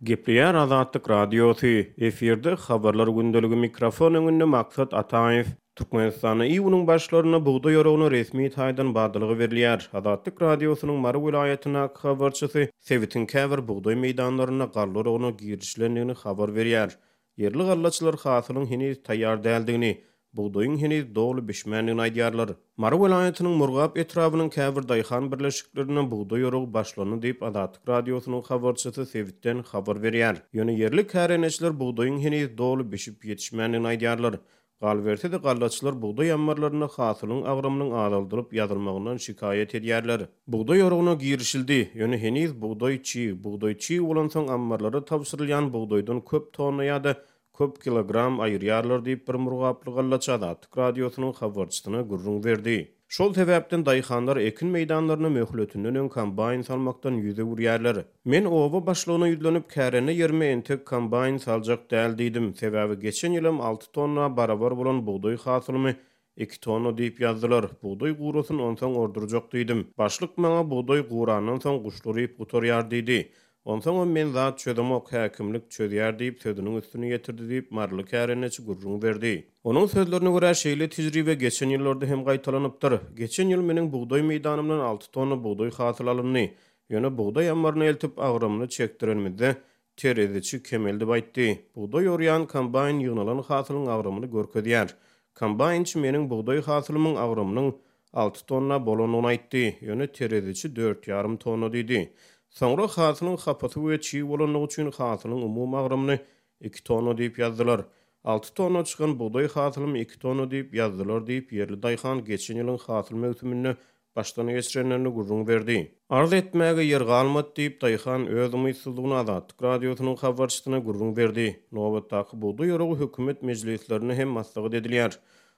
Gepleýär Azatlyk Radiosy, efirde Habarlar gündeligi mikrofon öňünde Maksat Ataýew. Türkmenistanda iýunyň başlarynda bugdaý oragyna resmi taýdan badalga berilýär. Azatlyk Radiosynyň Mary welaýatyndaky habarçysy sebitiň käbir bugdaý meýdanlarynda galla oragyna girişilendigini habar berýär. Ýerli gallaçylar hasylyň heniz taýýar däldigini, bugdaýyň heniz doly bişmändigini aýdýarlar. Mary welaýatynyň Murgap etrabynyň käbir daýhan birleşiklerinde bugdaý oragy başlandy diýip, Azatlyk Radiosynyň habarçysy sebitden habar berýär. Ýöne ýerli kärendeçiler bugdaýyň heniz doly bişip ýetişmändigini aýdýarlar. Galyberse-de, gallaçylar bugdaý ammarlarynda hasylyň agramynyň azaldylyp ýazylmagyndan şikaýat edýärler. Bugdaý oragyna girişildi, ýöne heniz bugdaý çig. Bugdaý çig bolansoň, ammarlara tabşyrylýan bugdaýdan köp tonna ýa-da köp kilogram aýyrýarlar diýip, bir murgaply gallaçy Azatlyk Radiosynyň habarçysyna gürrüň berdi. Şol sebäpden daýhanlar ekin meýdanlaryna möhletinden öň kombaýn salmakdan ýüz öwürýärler. Men oba başlygyna ýüzlenip, kärende ýerime entek kombaýn saljak däl diýdim. Sebäbi geçen ýylam alty tonna barabar bolan bugdaý hasylymy Iki tonna diýip ýazdylar. Bugdaý gurasyn, onsoň ordurjak diýdim. Başlyk maňa bugdaý gurandan soň guşlar iýip gutarýar diýdi. Onsoňam men zat çözemok, häkimlik çözýär diýip, sözüniň üstüni ýetirdi diýip, maryly kärendeçi gürrüň berdi. Onuň sözlerine görä, şeýle tejribe geçen ýyllarda hem gaýtalanypdyr. Geçen ýyl meniň bugdaý meýdanymdan alty tonna bugdaý hasyl alyndy. Ýöne bugdaý ammaryna eltip, agramyny çekdirenimizde, Tereziçi kemeldip aýtdy. Bugdaý orýan kombaýn ýygnalan hasylyň agramyny görkezýär. Kombaýnçy meniň bugdaý hasylymyň agramynyň alty tonna bolandygyny aýtdy. Ýöne tereziçi dört ýarym tonna diýdi. Soňra hasylyň hapasy we çig bolandygy üçin hasylyň umumy agramyny iki tonna diýip ýazdylar. Alty tonna çykan bugdaý hasylymy iki tonna diýip ýazdylar diýip, ýerli daýhan geçen ýylyň hasyl möwsüminde başdan geçirenlerini gürrüň berdi. Arz etmäge ýer galmady diýip, daýhan öz umytsyzlygyny Azatlyk Radiosynyň habarçysyna gürrüň berdi. Nobatdaky bugdaý oragy hökümet mejlislerinde hem maslahat edilýär.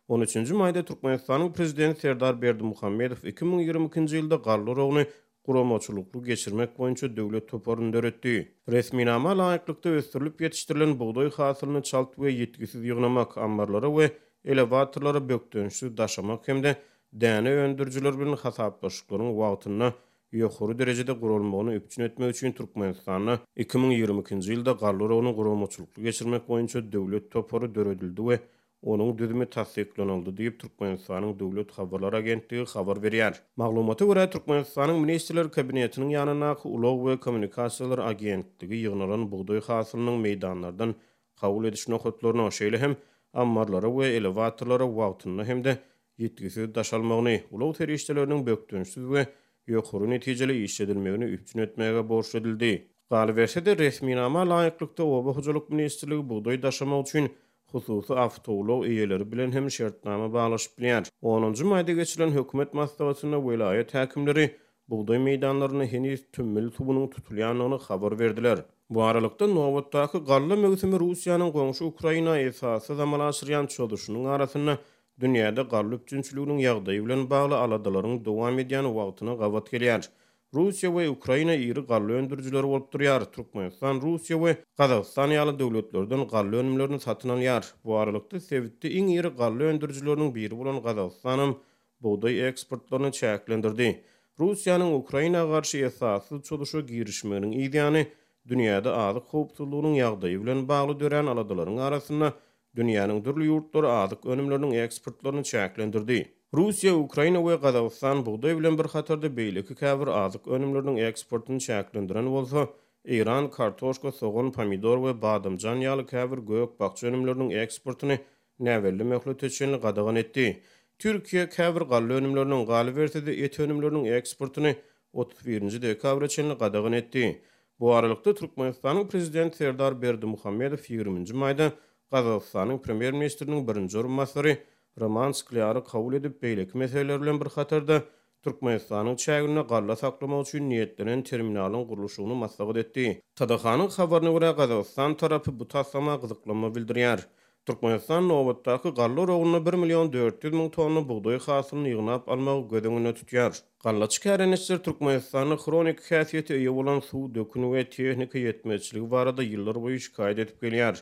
On üçünji maýda Türkmenistanyň Prezidenti Serdar Berdimuhamedow 2022-nji ýylda galla oragyny guramaçylykly geçirmek boýunça döwlet toparyny döretdi. Resminama laýyklykda, ösdürilip ýetişdirilen bugdaý hasylyny çalt we ýitgisiz ýygnamak, ammarlara we elewatorlara bökdençsiz daşamak hem-de däne öndürijiler bilen hasaplaşyklaryň wagtynda ýokary derejede guralmagyny üpjün etmek üçin Türkmenistanda 2022-nji ýylda galla oragyny guramaçylykly geçirmek boýunça döwlet topary döredildi we onuň düzümi tassyklanyldy diýip, Türkmenistanyň Döwlet habarlar agentligi habar berýär. Maglumata görä, Türkmenistanyň Ministrler Kabinetiniň ýanyndaky Ulag we kommunikasiýalar agentligi ýygnalan bugdaý hasylynyň meýdanlardan kabul ediş nokatlaryna, şeýle hem ammarlara we elewatorlara wagtynda hem-de ýitgisiz daşalmagyny, ulag serişdeleriniň bökdençsiz we ýokary netijeli işledilmegini üpjün etmäge borçly edildi. Galyberse-de, resminama laýyklykda, Oba hojalyk ministrligi bugdaý daşamak üçin hususy awtoulag eýeleri bilen hem şertnama baglaşyp bilýär. Onunjy maýda geçirilen hökümet maslahatynda welaýat häkimleri bugdaý meýdanlarynda heniz tümmül suwunyň tutulýandygyny habar berdiler. Bu aralykda, nobatdaky galla möwsümi Russiýanyň goňşy Ukraina esassyz amala aşyrýan çozuşynyň arasynda dünýäde galla üpjünçiliginiň ýagdaýy bilen bagly aladalaryň dowam edýän wagtyna gabat gelýär. Russiýa we Ukraina iri galla öndürijileri bolup durýar. Türkmenistan Russiýa we Gazagystan ýaly döwletlerden galla önümlerini satyn alýar. Bu aralykda, sebitde iň iri galla öndürijileriniň biri bolan Gazagystanam bugdaý eksportlaryny çäklendirdi. Russiýanyň Ukraina garşy esassyz çozuşa girişmeginiň yzýany, dünýäde azyk howpsuzlygynyň ýagdaýy bilen bagly dörän aladalaryň arasynda Dünýäniň dürli ýurtlary azyk önümleriniň eksportlaryny çäklendirdi. Russiýa, Ukraina we Gazagystan bugdaý bilen bir hatarda beýleki käbir azyk önümleriniň eksportyny çäklendiren bolsa, Eýran kartoşka, sogan, pomidor we badamjan ýaly käbir gök-bakja önümleriniň eksportyny näbelli möhlete çenli gadagan etdi. Türkiýe käbir galla önümleriniň, galyberse-de et önümleriniň eksportyny 31-nji dekabra çenli gadagan etdi. Bu aralykda, Türkmenistanyň Prezidenti Serdar Berdimuhamedow ýigriminji maýda Gazagystanyň Premýer-ministriniň birinji orunbasary Roman Sklýary kabul edip, beýleki meseleler bilen bir hatarda, Türkmenistanyň çäginde galla saklamak üçin niýetlenen terminalyň gurluşygyny maslahat etdi. TDH-nyň habaryna görä, Gazagystan tarapy bu taslama gyzyklanma bildirýär. Türkmenistan nobatdaky galla oragynda bir million 400 müň tonna bugdaý hasylyny ýygnap almagy göz öňünde tutýar. Gallaçy kärendeçiler Türkmenistanda hroniki häsiýete eýe bolan suw, dökün we tehnika ýetmezçiligi barada ýyllarboýy şikaýat edip gelýär.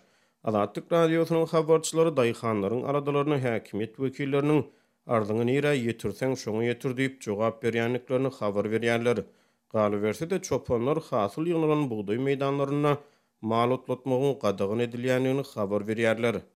Azatlyk Radiosynyň habarçylary daýhanlaryň aladalaryna häkimiýet wekilleriniň Arzyňy nirä ýetirseň, şoňa ýetir diýip jogap berýändiklerini habar berýärler. Galyberse-de, çopanlar hasyl ýygnalan bugdaý meýdanlarynda. mal otlatmagyň gadagan edilýändigini habar berýärler.